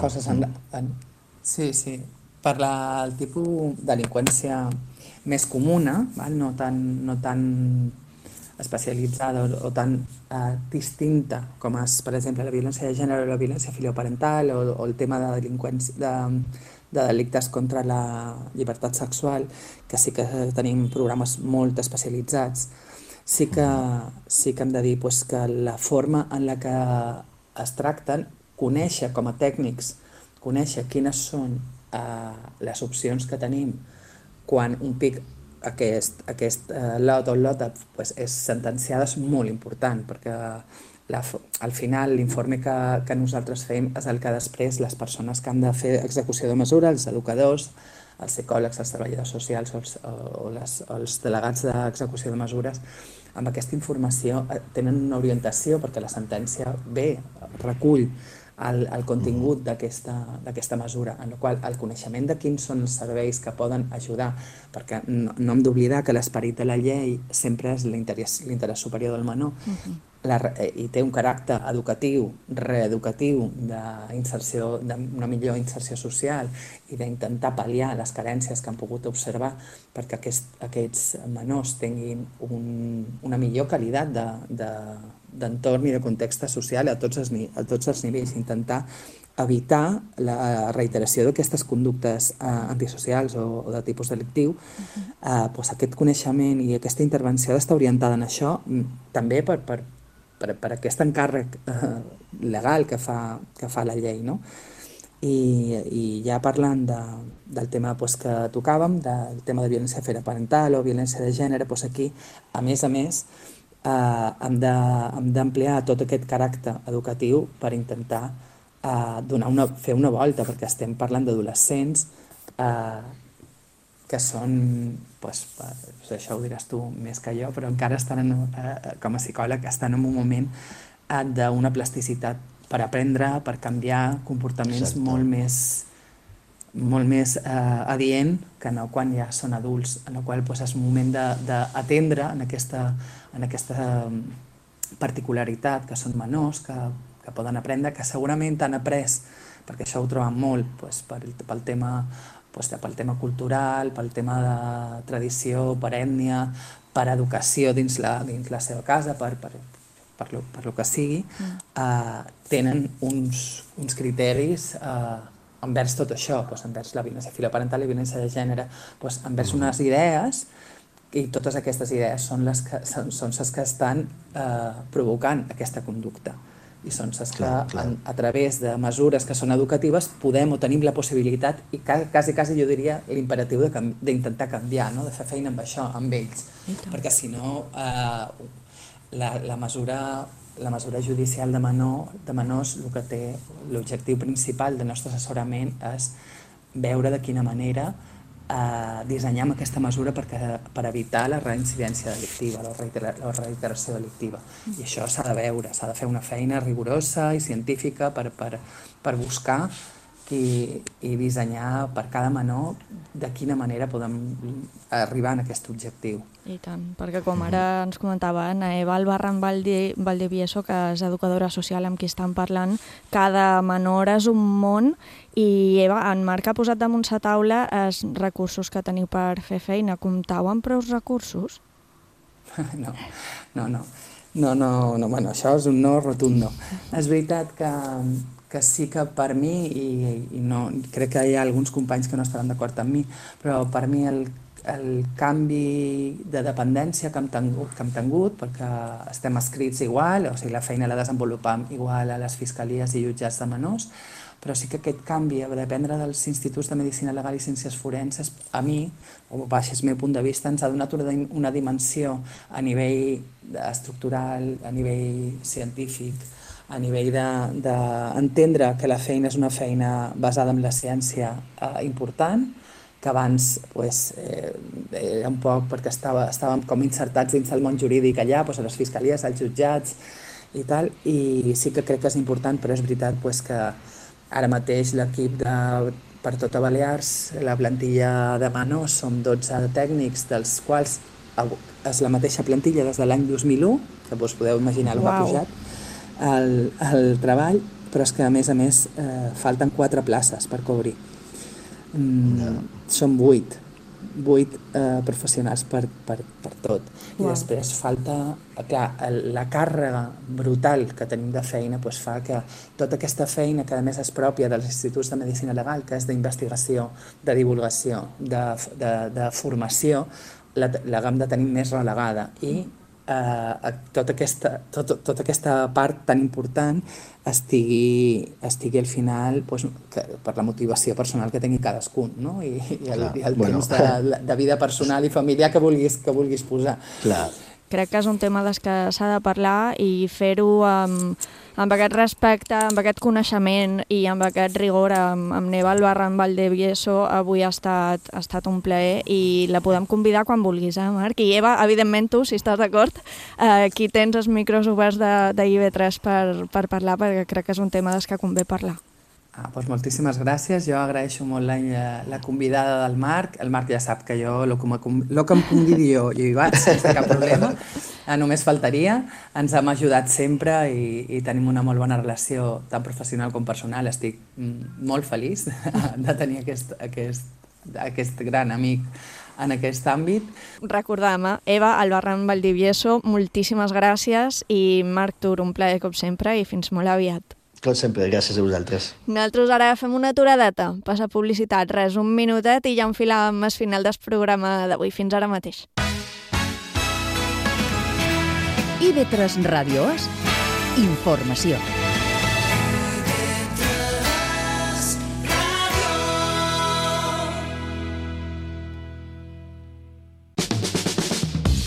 Sí. Per el tipus de delinqüència més comuna, no tan especialitzada o tan distinta com és, per exemple, la violència de gènere o la violència filioparental o el tema de delictes contra la llibertat sexual, que sí que tenim programes molt especialitzats, sí que hem de dir que la forma en la que es tracten, conèixer com a tècnics, conèixer quines són les opcions que tenim quan un PIC, aquest lot o lota és sentenciada, és molt important, perquè al final l'informe que nosaltres fem és el que després les persones que han de fer execució de mesura, els educadors, els psicòlegs, els treballadors socials o els delegats d'execució de mesures, amb aquesta informació tenen una orientació, perquè la sentència recull el contingut d'aquesta mesura, en la qual el coneixement de quins són els serveis que poden ajudar, perquè no hem d'oblidar que l'esperit de la llei sempre és l'interès superior del menor, i té un caràcter educatiu, reeducatiu, d'una millor inserció social i d'intentar pal·liar les carències que han pogut observar perquè aquests menors tinguin una millor qualitat d'entorn i de context social a tots els nivells, intentar evitar la reiteració d'aquestes conductes antisocials o de tipus delictiu. Aquest coneixement i aquesta intervenció ha d'estar orientada en això, també per aquest encàrrec legal que fa la llei, no? I ja parlant del tema que tocàvem, del tema de violència filioparental o violència de gènere, aquí, a més, hem d'ampliar tot aquest caràcter educatiu per intentar fer una volta, perquè estem parlant d'adolescents que són, això ho diràs tu més que jo, però encara estan, com a psicòleg, estan en un moment d'una plasticitat per aprendre, per canviar comportaments molt més adient que no quan ja són adults, en el qual és un moment d'atendre en aquesta particularitat, que són menors, que poden aprendre, que segurament han après, perquè això ho trobem molt pel tema cultural, pel tema de tradició, per ètnia, per educació dins la seva casa, per lo que sigui, tenen uns criteris envers tot això, envers la violència filioparental i la violència de gènere, envers unes idees, i totes aquestes idees són les que estan provocant aquesta conducta. I són les que, a través de mesures que són educatives, podem o tenim la possibilitat, i quasi jo diria l'imperatiu d'intentar canviar, de fer feina amb això, amb ells. Perquè si no, la mesura judicial de menors, el que té l'objectiu principal del nostre assessorament és veure de quina manera dissenyem aquesta mesura per evitar la reincidència delictiva, la reiteració delictiva. I això s'ha de veure, s'ha de fer una feina rigorosa i científica per buscar i dissenyar per cada menor de quina manera podem arribar a aquest objectiu. I tant, perquè com ara ens comentava Anna Eva Albarrán Valdivieso, que és educadora social amb qui estan parlant, cada menor és un món i Eva, en Marc ha posat damunt la taula els recursos que teniu per fer feina. Comptau amb prou recursos? No, bueno, això és un no rotund. És veritat que sí que per mi, i no, crec que hi ha alguns companys que no estaran d'acord amb mi, però per mi el canvi de dependència que hem tingut, perquè estem escrits igual, o sigui, la feina la desenvolupam igual a les fiscalies i jutjats de menors, però sí que aquest canvi a dependre dels instituts de Medicina Legal i Ciències Forenses, a mi, o baix el meu punt de vista, ens ha donat una dimensió a nivell estructural, a nivell científic, a nivell d'entendre que la feina és una feina basada en la ciència important, que abans era un poc perquè estàvem com insertats dins del món jurídic allà, a les fiscalies, als jutjats i tal, i sí que crec que és important, però és veritat que ara mateix l'equip per tota Balears, la plantilla de menors, som 12 tècnics, dels quals és la mateixa plantilla des de l'any 2001, que vos podeu imaginar el que ha pujat, el treball, però és que a més falten 4 places per cobrir. Són 8 professionals per tot. I després falta, clar, la càrrega brutal que tenim de feina fa que tota aquesta feina, que a més és pròpia dels instituts de Medicina Legal, que és d'investigació, de divulgació, de formació, l'haguem de tenir més relegada. I tota aquesta part tan important estigui al final per la motivació personal que tingui cadascun, no? I el temps de vida personal i familiar que vulguis posar. Crec que és un tema des que s'ha de parlar i fer-ho amb aquest respecte, amb aquest coneixement i amb aquest rigor. Amb Neva Albarrán Valdivieso avui ha estat un plaer i la podem convidar quan vulguis, Marc? I Eva, evidentment tu, si estàs d'acord, aquí tens els micros oberts de IB3 per parlar, perquè crec que és un tema des que convé parlar. Moltíssimes gràcies. Jo agraeixo molt la convidada del Marc. El Marc ja sap que jo, el que em convidi jo, hi vaig sense cap problema. Només faltaria. Ens hem ajudat sempre i tenim una molt bona relació, tant professional com personal. Estic molt feliç de tenir aquest gran amic en aquest àmbit. Recordem, Eva Albarrán Valdivieso, moltíssimes gràcies, i Marc Tur, un plaer com sempre i fins molt aviat. Com sempre, gràcies a vosaltres. Nosaltres ara fem una aturadeta, passa publicitat, res, un minutet i ja enfilàvem el final del programa d'avui. Fins ara mateix. IB3 Ràdio És informació.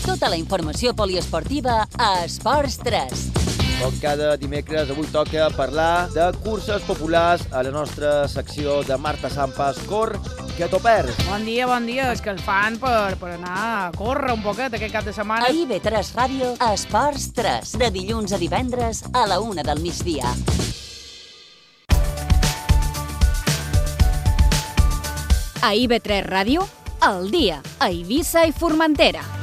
Tota la informació poliesportiva a Esports 3. Com cada dimecres, avui toca parlar de curses populars a la nostra secció de Marta Sampas. Cor, que t'ho perds. Bon dia, és que el fan per anar a córrer un poquet aquest cap de setmana. A IB3 Ràdio, Esports 3, de dilluns a divendres a la 1 del migdia. A IB3 Ràdio, al dia, a Eivissa i Formentera.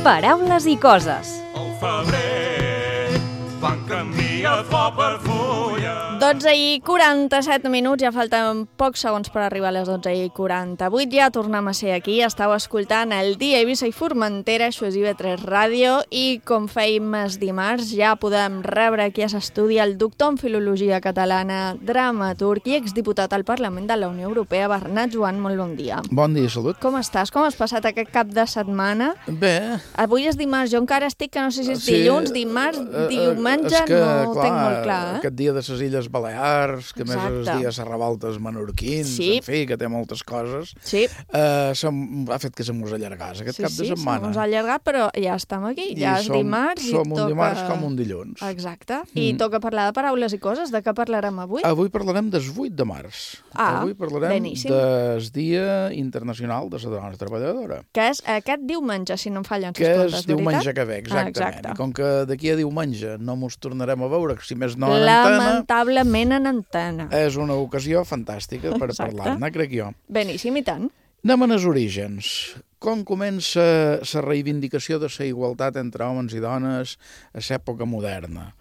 Paraules i coses. Al febrer van canviar flor per fulla. 12 i 47 minuts, ja falten pocs segons per arribar a les 12 i 48. Ja tornem a ser aquí, estàu escoltant el Dia Eivissa i Formentera, això és IB3 Ràdio, i com fèiem els dimarts, ja podem rebre aquí a l'estudi el doctor en Filologia Catalana, dramaturg i exdiputat al Parlament de la Unió Europea, Bernat Joan, molt bon dia. Bon dia, salut. Com estàs? Com has passat aquest cap de setmana? Bé. Avui és dimarts, jo encara estic que no sé si és dilluns, dimarts, diumenge, no ho tinc molt clar. Aquest dia de les Illes Balears, que més es Exacte. dia Serravoltes menorquins, Sí. en fi, que té moltes coses. Sí. Ha fet que se mos allargàs aquest cap de setmana. Sí, s'ha allargat, però ja estem aquí. I Ja és dimarts i som toca... un dimarts com un dilluns. Exacte. I toca parlar de paraules i coses. De què parlarem avui? Avui parlarem del 8 de març. Avui parlarem beníssim. del Dia Internacional de la Dona Treballadora. Que és aquest diumenge, si no em fallen les Que comptes, és diumenge veritat? que ve, exactament. Exacte. I com que d'aquí a diumenge no mos tornarem a veure, si més no en antena, Lamentablement en antena. és una ocasió fantàstica per parlar-ne, crec jo. Beníssim, i tant. Anem als orígens. Com comença la reivindicació de la igualtat entre homes i dones a l'època moderna?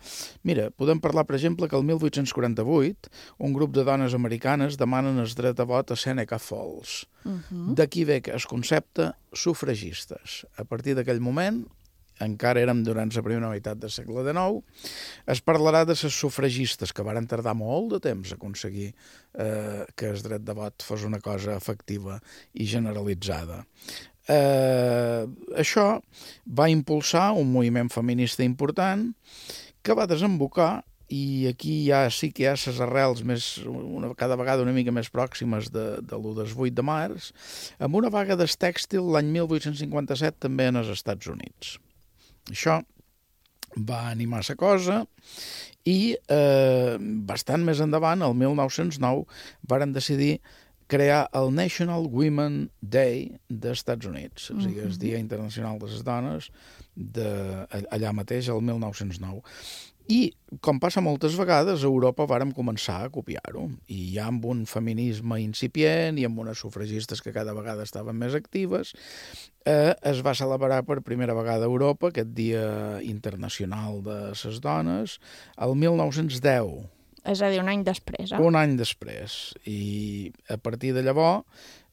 Mira, podem parlar, per exemple, que el 1848 un grup de dones americanes demanen el dret a vot a Seneca Falls. D'aquí ve el concepte sufragistes. A partir d'aquell moment, encara érem durant la primera meitat del segle XIX, es parlarà de les sufragistes, que varen tardar molt de temps a aconseguir que el dret de vot fos una cosa efectiva i generalitzada. Això va impulsar un moviment feminista important que va desembocar, i aquí ja sí que hi ha les arrels cada vegada una mica més pròximes de l'1 del 8 de març, amb una vaga del tèxtil l'any 1857 també en els Estats Units. Això va animar la cosa i bastant més endavant, el 1909, varen decidir crear el National Women Day dels Estats Units, o sigui, el Dia Internacional de les Dones, allà mateix, el 1909. I, com passa moltes vegades, a Europa vàrem començar a copiar-ho, i ja amb un feminisme incipient i amb unes sufragistes que cada vegada estaven més actives, es va celebrar per primera vegada a Europa aquest Dia Internacional de les Dones el 1910. És a dir, un any després. Un any després. I a partir de llavors,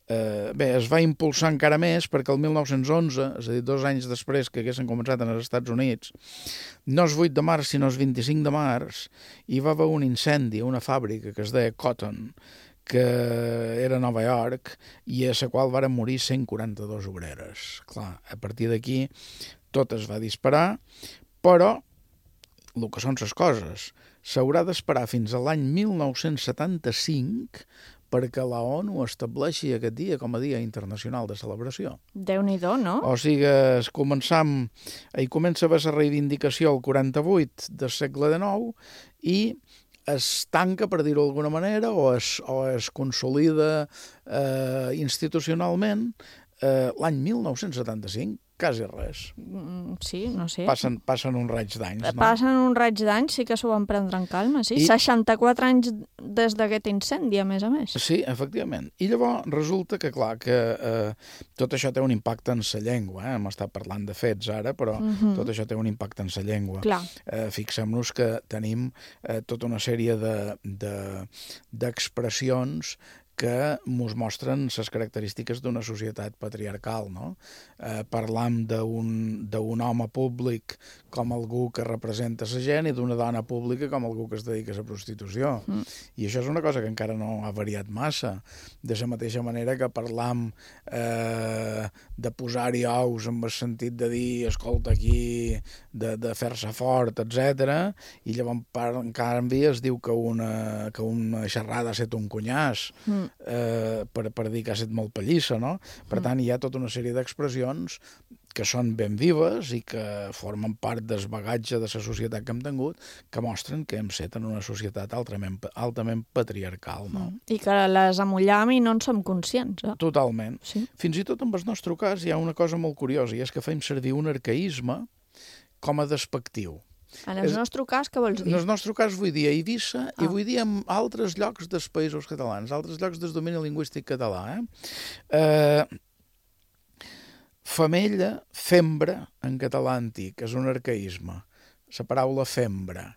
es va impulsar encara més perquè el 1911, és a dir, 2 anys després que haguessin començat en els Estats Units, no és 8 de març, sinó és 25 de març, hi va haver un incendi a una fàbrica que es deia Cotton, que era a Nova York, i a la qual varen morir 142 obreres. Clar, a partir d'aquí tot es va disparar, però el que són les coses, s'haurà d'esperar fins a l'any 1975 perquè la ONU estableixi aquest dia com a Dia Internacional de Celebració. Déu-n'hi-do, no? O sigui, comença a haver la reivindicació al 48 del segle XIX i es tanca, per dir-ho d'alguna manera, o es consolida institucionalment l'any 1975. Quasi res. Sí, no sé. Passen un raig d'anys, no? Passen un raig d'anys, sí que s'ho van prendre en calma, sí. 64 anys des d'aquest incendi, a més. Sí, efectivament. I llavors resulta que, clar, que tot això té un impacte en la llengua. Hem estat parlant de fets ara, però tot això té un impacte en la llengua. Fixem-nos que tenim tota una sèrie d'expressions que ens mostren les característiques d'una societat patriarcal, no? Parlam d'un home públic com algú que representa la gent i d'una dona pública com algú que es dedica a la prostitució. I això és una cosa que encara no ha variat massa. De la mateixa manera que parlam de posar-hi ous en el sentit de dir, escolta, aquí, de fer-se fort, etc. I llavors, en canvi, es diu que una xerrada ha estat un cunyàs, per dir que ha estat molt pallissa, no? Per tant, hi ha tota una sèrie d'expressions que són ben vives i que formen part del bagatge de la societat que hem tingut, que mostren que hem set en una societat altament patriarcal, no? I que les amollam i no en som conscients. Totalment. Fins i tot en el nostre cas hi ha una cosa molt curiosa, i és que fem servir un arcaïsme com a despectiu. En el nostre cas, què vols dir? En el nostre cas vull dir a Eivissa i vull dir en altres llocs dels països catalans, altres llocs del domini lingüístic català. Femella, fembra, en català antic, és un arcaïsme. La paraula fembra,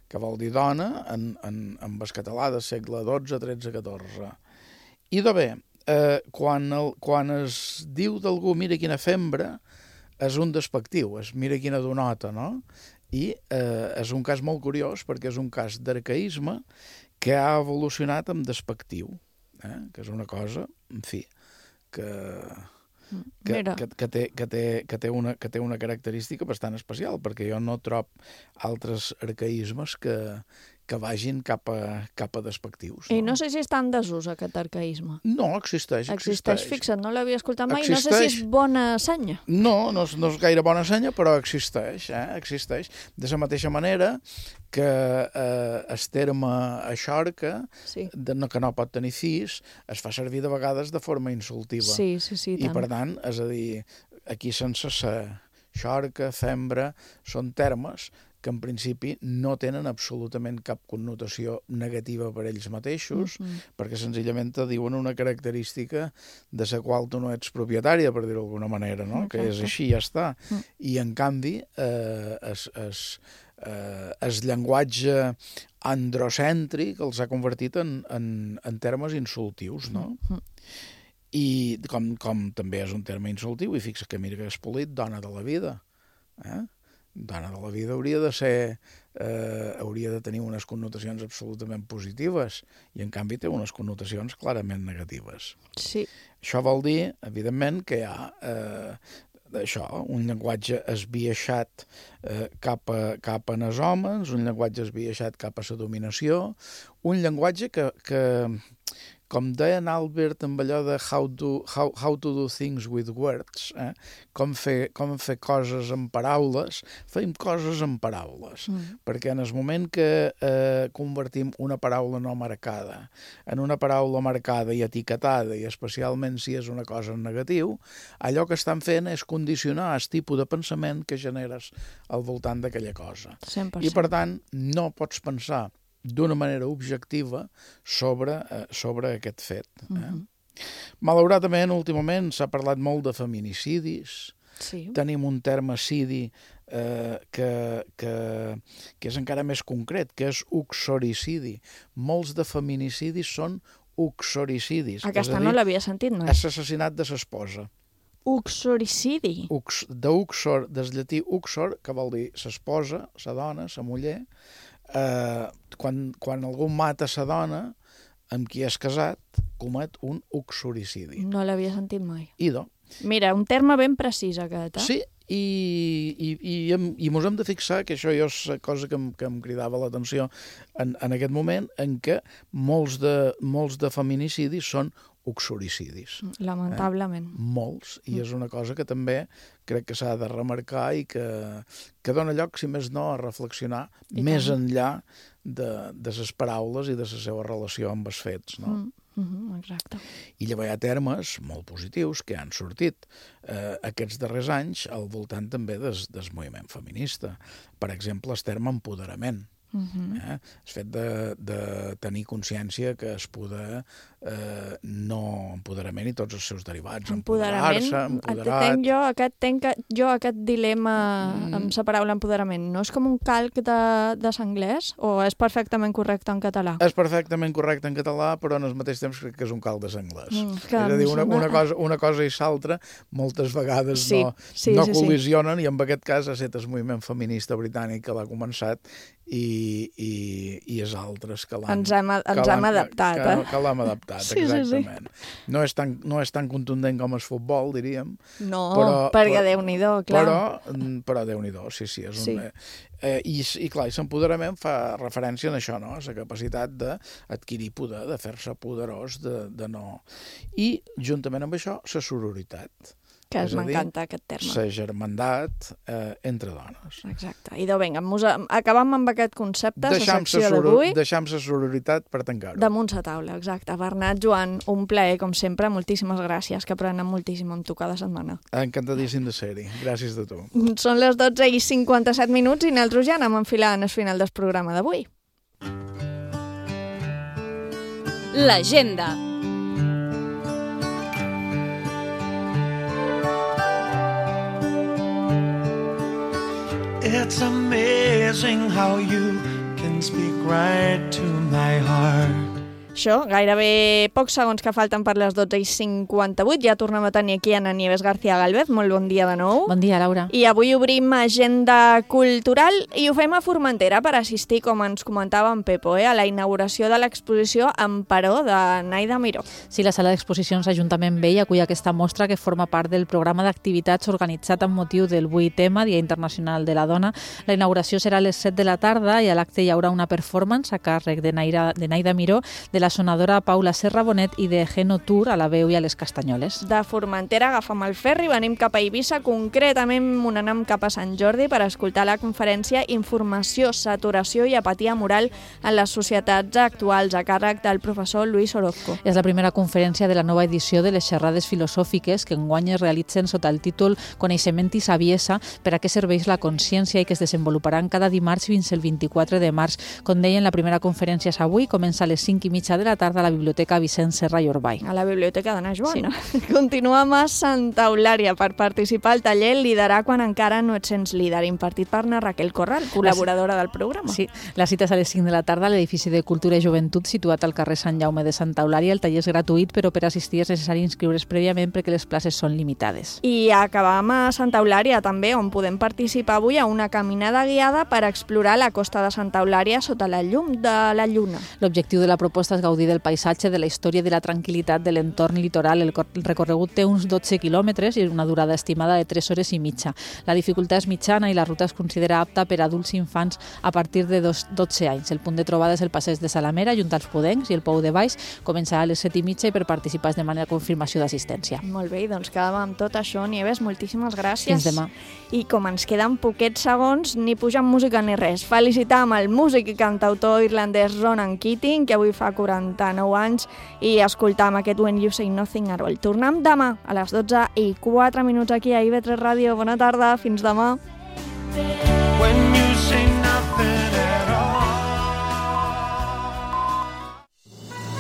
que vol dir dona en el català del segle XII, XIII, XIV. I de bé, quan es diu d'algú mira quina fembra, és un despectiu, és mira quina donota, no? I és un cas molt curiós perquè és un cas d'arcaïsme que ha evolucionat amb despectiu, que és una cosa, en fi, que té una característica bastant especial, perquè jo no trob altres arcaïsmes que que vagin cap a despectius. I no sé si està en desús aquest arcaïsme. No, existeix. Fixa't, no l'havia escoltat mai, no sé si és bona senya. No és gaire bona senya, però existeix. De la mateixa manera que el terme aixorca, que no pot tenir fills, es fa servir de vegades de forma insultiva. Sí, I per tant, és a dir, aquí sense ser xorca, fembra, són termes que en principi no tenen absolutament cap connotació negativa per ells mateixos, perquè senzillament te diuen una característica de la qual tu no ets propietària, per dir-ho d'alguna manera, no? Que és així, ja està. I en canvi, el llenguatge androcèntric els ha convertit en termes insultius, no? I com també és un terme insultiu, i fixa que mira que és polit, dona de la vida. Dona de la vida hauria de tenir unes connotacions absolutament positives i en canvi té unes connotacions clarament negatives. Sí. Això vol dir, evidentment, que hi ha un llenguatge esbiaixat cap a els homes, un llenguatge esbiaixat cap a la dominació, un llenguatge que com deia en Albert amb allò de how to do things with words, com fer coses amb paraules, fem coses amb paraules, perquè en el moment que convertim una paraula no marcada en una paraula marcada i etiquetada, i especialment si és una cosa en negatiu, allò que estan fent és condicionar el tipus de pensament que generes al voltant d'aquella cosa. 100%. I per tant, no pots pensar d'una manera objectiva sobre aquest fet. Malauradament, últimament s'ha parlat molt de feminicidis. Tenim un terme cidi que és encara més concret, que és uxoricidi. Molts de feminicidis són uxoricidis. Aquesta no l'havia sentit mai. És l'assassinat de l'esposa. Uxoricidi? D'uxor, del llatí uxor, que vol dir l'esposa, la dona, la muller. Quan algú mata la dona amb qui és casat, comet un uxoricidi. No l'havia sentit mai. Idò. Mira, un terme ben precís aquest, Sí, i mos hem de fixar que això és la cosa que em cridava l'atenció en aquest moment, en què molts de feminicidis són uxoricidis. Lamentablement. Molts, i és una cosa que també crec que s'ha de remarcar i que dona lloc, si més no, a reflexionar més enllà de les paraules i de la seva relació amb els fets, no? Exacte. I llavors hi ha termes molt positius que han sortit aquests darrers anys al voltant també del moviment feminista. Per exemple, el terme empoderament. El fet de tenir consciència que es poder no empoderament i tots els seus derivats, empoderar-se, empoderat. Aquest dilema amb la paraula empoderament, no és com un calc de l'anglès o és perfectament correcte en català? És perfectament correcte en català, però en el mateix temps crec que és un calc de l'anglès. És a dir, una cosa i l'altra moltes vegades no col·lisionen, i en aquest cas ha estat el moviment feminista britànic que l'ha començat i els altres que l'han... Ens hem adaptat, que l'hem adaptat, exactament. No és tan contundent com el futbol, diríem. No, perquè Déu-n'hi-do, clar. Però Déu-n'hi-do, sí. I clar, l'empoderament fa referència a això, no? A la capacitat d'adquirir poder, de fer-se poderós, de no... I, juntament amb això, la sororitat. Que m'encanta aquest terme. La germandat entre dones. Exacte. I vinga, acabam amb aquest concepte, la secció d'avui. Deixam la sororitat per tancar-ho. Damunt la taula, exacte. Bernat, Joan, un plaer, com sempre. Moltíssimes gràcies, que aprenem moltíssim amb tu cada setmana. Encantadíssim de ser-hi. Gràcies de tu. Són les 12:57 i nosaltres ja anem enfilant el final del programa d'avui. L'agenda. It's amazing how you can speak right to my heart. Això, gairebé pocs segons que falten per les 12:58. Ja tornem a tenir aquí Ana Nieves García Galvez. Molt bon dia de nou. Bon dia, Laura. I avui obrim agenda cultural i ho fem a Formentera per assistir, com ens comentava en Pepo, a la inauguració de l'exposició Emperò de Naida Miró. Sí, la sala d'exposicions Ajuntament Vell acull aquesta mostra que forma part del programa d'activitats organitzat amb motiu del 8M, Dia Internacional de la Dona. La inauguració serà a les 7 de la tarda i a l'acte hi haurà una performance a càrrec de Naida Miró, de la sonadora Paula Serra Bonet i de Geno Tour a la veu i a les castanyoles. De Formentera agafam el ferri i venim cap a Eivissa, concretament anem cap a Sant Jordi per escoltar la conferència Informació, saturació i apatia moral en les societats actuals a càrrec del professor Luis Orozco. És la primera conferència de la nova edició de les xerrades filosòfiques que enguany es realitzen sota el títol Coneixement i saviesa, per a què serveix la consciència, i que es desenvoluparan cada dimarts fins el 24 de març. Com deien, la primera conferència és avui, comença a les 5:30 de la tarda a la Biblioteca Vicent Serra i Orbay. A la Biblioteca d'Anna Joana. Sí. Continuem a Santa Eulària per participar al taller Liderar quan encara no et sents líder, impartit per Raquel Corral, col·laboradora del programa. Sí, la cita és a les 5 de la tarda a l'edifici de Cultura i Joventut situat al carrer Sant Jaume de Santa Eulària. El taller és gratuït, però per assistir és necessari inscriure's prèviament perquè les places són limitades. I acabam a Santa Eulària també, on podem participar avui a una caminada guiada per explorar la costa de Santa Eulària sota la llum de la lluna. L'objectiu de la proposta és gaudir del paisatge, de la història i de la tranquil·litat de l'entorn litoral. El recorregut té uns 12 quilòmetres i una durada estimada de 3 hores i mitja. La dificultat és mitjana i la ruta es considera apta per a adults i infants a partir de 12 anys. El punt de trobada és el passeig de Salamera, junt als Pudencs, i el Pou de Baix començarà a les 7:30 i per participar es demana confirmació d'assistència. Molt bé, doncs quedàvem amb tot això. Nieves, moltíssimes gràcies. Fins demà. I com ens queden poquets segons, ni pujant música ni res. Felicitam el músic i cantautor irlandès Ronan Keating, que avui fa 49 anys, i escoltam aquest When You Say Nothing at All. Tornem demà a les 12:04 aquí a IB3 Ràdio. Bona tarda, fins demà.